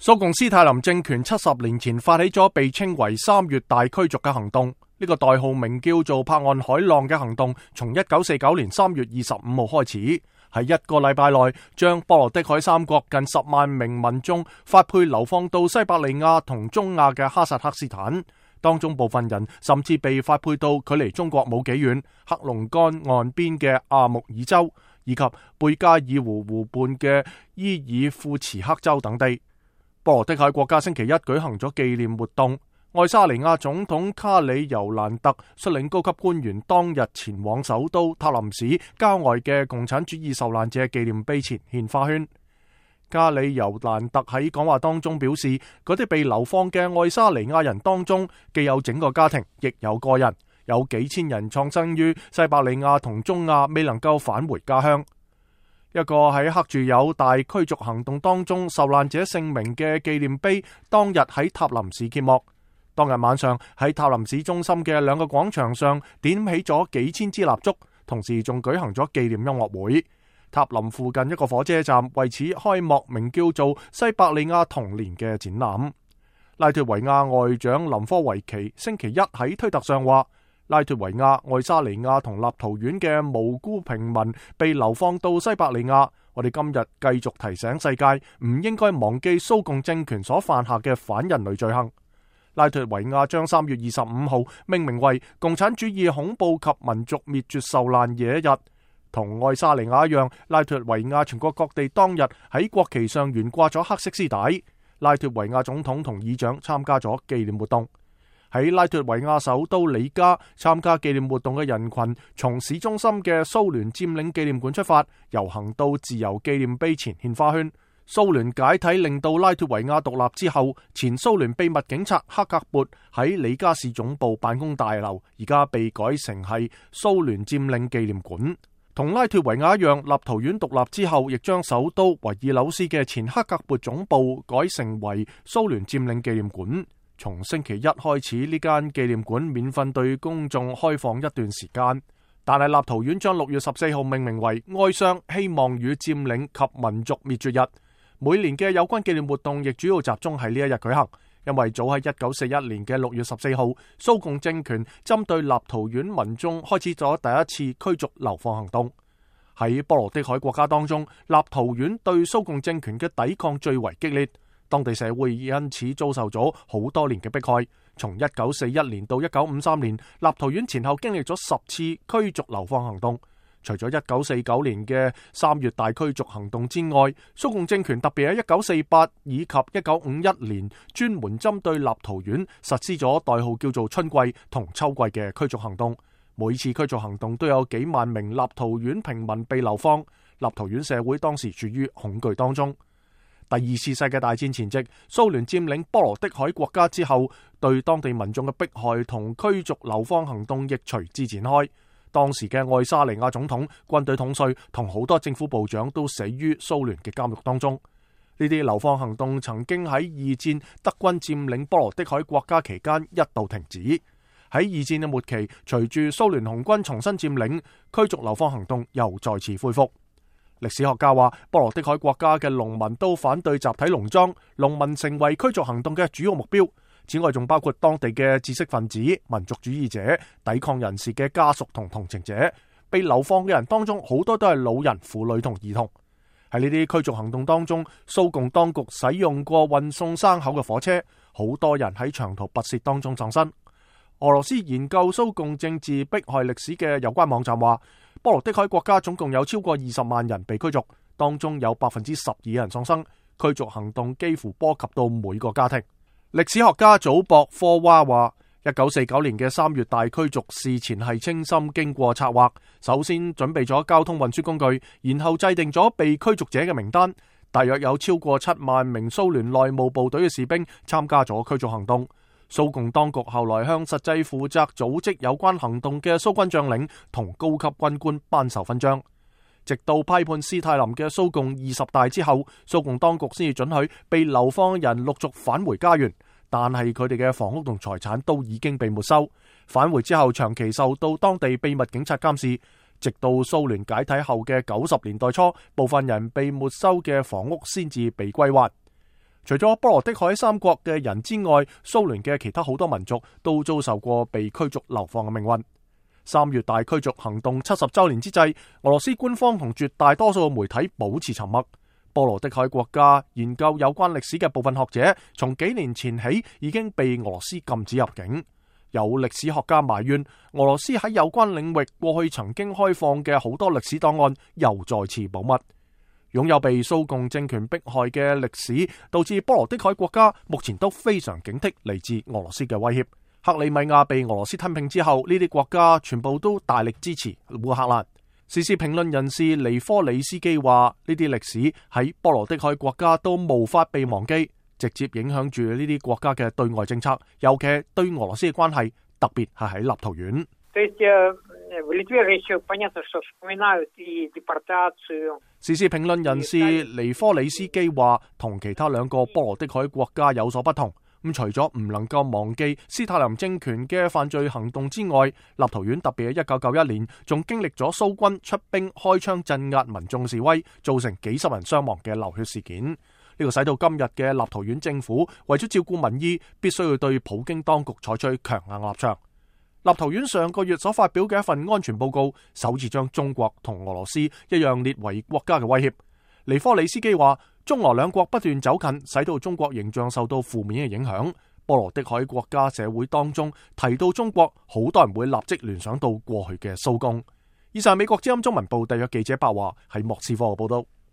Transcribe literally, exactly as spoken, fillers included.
蘇共斯泰林政權七十年前發起咗被稱為三月大驅逐嘅行動，呢個代號名叫做柏岸海浪嘅行動，從一九四九年三月二十五號開始，喺一個禮拜內將波羅的海三國近十萬名民眾發配流放到西伯利亞同中亞嘅哈薩克斯坦，當中部分人甚至被發配到距離中國冇幾遠黑龍江岸邊嘅阿穆爾州，以及貝加爾湖湖畔嘅伊爾庫茨克州等地。波羅的海國家星期一舉行咗紀念活動，愛沙尼亞總統卡里尤蘭特率領高級官員當日前往首都塔林市郊外嘅共產主義受難者紀念碑前獻花圈。卡里尤蘭特喺講話當中表示，嗰啲被流放嘅愛沙尼亞人當中，既有整個家庭，亦有個人，有幾千人創生於西伯利亞同中亞，未能夠返回家鄉。一個喺刻住有大驅逐行動當中受難者姓名嘅紀念碑，當日喺塔林市揭幕。當日晚上喺塔林市中心嘅兩個廣場上點起咗幾千支蠟燭，同時仲舉行咗紀念音樂會。塔林附近一個火車站為此開幕名叫做西伯利亞童年嘅展覽。拉脫維亞外長林科維奇星期一喺推特上話，拉脫維亞、愛沙尼亞同立陶宛嘅無辜平民被流放到西伯利亞，我哋今日繼續提醒世界唔應該忘記蘇共政權所犯下嘅反人類罪行。拉脫維亞將三月二十五號命名為共產主義恐怖及民族滅絕受難者日，同愛沙尼亞一樣，拉脫維亞全國各地當日喺國旗上懸掛咗黑色絲帶。拉脫維亞總統同議長參加咗紀念活動。喺拉脫維亞首都里加，參加紀念活動嘅人群從市中心嘅蘇聯佔領紀念館出發，遊行到自由紀念碑前獻花圈。蘇聯解體令到拉脫維亞獨立之後，前蘇聯秘密警察克格勃喺里加市總部辦公大樓，而家被改成係蘇聯佔領紀念館。同拉脫維亞一樣，立陶宛獨立之後，亦將首都維爾紐斯嘅前克格勃總部改成為蘇聯佔領紀念館。從星期一開始，呢間紀念館免費對公眾開放一段時間，但係立陶宛將六月十四號命名為哀傷、希望與佔領及民族滅絕日。每年嘅有關紀念活動亦主要集中喺呢一日舉行，因為早喺一九四一年嘅六月十四號，蘇共政權針對立陶宛民眾開始咗第一次驅逐流放行動。喺波羅的海國家當中，立陶宛對蘇共政權嘅抵抗最為激烈。當地社會因此遭受咗好多年嘅迫害。從一九四一年到一九五三年，立陶宛前後經歷咗十次驅逐流放行動。除咗一九四九年嘅三月大驅逐行動之外，蘇共政權特別喺一九四八以及一九五一年專門針對立陶宛實施咗代號叫做春季同秋季嘅驅逐行動。每次驅逐行動都有幾萬名立陶宛平民被流放。立陶宛社會當時處於恐懼當中。第二次世界大戰前夕，蘇聯佔領波羅的海國家之後，對當地民眾嘅迫害同驅逐流放行動亦隨之展開。當時嘅愛沙尼亞總統、軍隊統帥同好多政府部長都死於蘇聯嘅監獄當中。呢啲流放行動曾經喺二戰德軍佔領波羅的海國家期間一度停止。喺二戰嘅末期，隨住蘇聯紅軍重新佔領，驅逐流放行動又再次恢復。歷史學家話，波羅的海國家嘅農民都反對集體農莊，農民成為驅逐行動嘅主要目標。此外，仲包括當地嘅知識分子、民族主義者、抵抗人士嘅家屬同同情者。被流放嘅人當中，好多都係老人、婦女同兒童。喺呢啲驅逐行動當中，蘇共當局使用過運送牲口嘅火車，好多人喺長途跋涉當中喪生。俄羅斯研究蘇共政治迫害歷史嘅有關網站話，波羅的海國家總共有超過二十萬人被驅逐，當中有百分之十二人喪生。驅逐行動幾乎波及到每個家庭。歷史學家祖博科娃話，一九四九年嘅三月大驅逐事前係精心經過策劃，首先準備咗交通運輸工具，然後制定咗被驅逐者嘅名單。大約有超過七萬名蘇聯內務部隊嘅士兵參加咗驅逐行動。蘇共當局後來向實際負責組織有關行動嘅蘇軍將領同高級軍官頒授勳章。直到批判斯泰林嘅蘇共二十大之後，蘇共當局先至准許被流放人陸續返回家園，但係佢哋嘅房屋同財產都已經被沒收。返回之後長期受到當地秘密警察監視，直到蘇聯解體後嘅九十年代初，部分人被沒收嘅房屋先至被歸還。除咗波羅的海三國嘅人之外，蘇聯嘅其他好多民族都遭受過被驅逐流放嘅命運。三月大驅逐行動七十週年之際，俄羅斯官方同絕大多數媒體保持沉默。波羅的海國家研究有關歷史嘅部分學者，從幾年前起已經被俄羅斯禁止入境。有歷史學家埋怨，俄羅斯喺有關領域過去曾經開放嘅好多歷史檔案又再次保密。擁有被蘇共政權迫害嘅歷史，導致波羅的海國家目前都非常警惕嚟自俄羅斯嘅威脅。克里米亞被俄羅斯吞併之後，呢啲國家全部都大力支持烏克蘭。時事評論人士尼科里斯基話：呢啲歷史喺波羅的海國家都無法被忘記，直接影響住呢啲國家嘅對外政策，尤其係對俄羅斯嘅關係，特別係喺立陶宛。時事評論人士尼科里斯基話，同其他兩個波羅的海國家有所不同。咁除咗唔能夠忘記斯大林政權嘅犯罪行動之外，立陶宛特別喺一九九一年仲經歷咗蘇軍出兵開槍鎮壓民眾示威，造成幾十人傷亡嘅流血事件。呢個使到今日嘅立陶宛政府為咗照顧民意，必須要對普京當局採取強硬立場。立陶宛上個月所發表嘅一份安全報告，首次將中國同俄羅斯一樣列為國家嘅威脅。尼科里斯基話，中俄兩國不斷走近，使到中國形象受到負面嘅影響。波羅的海國家社會當中提到中國，好多人會立即聯想到過去嘅蘇共。以上美國之音中文部特約記者白華喺莫斯科嘅報道。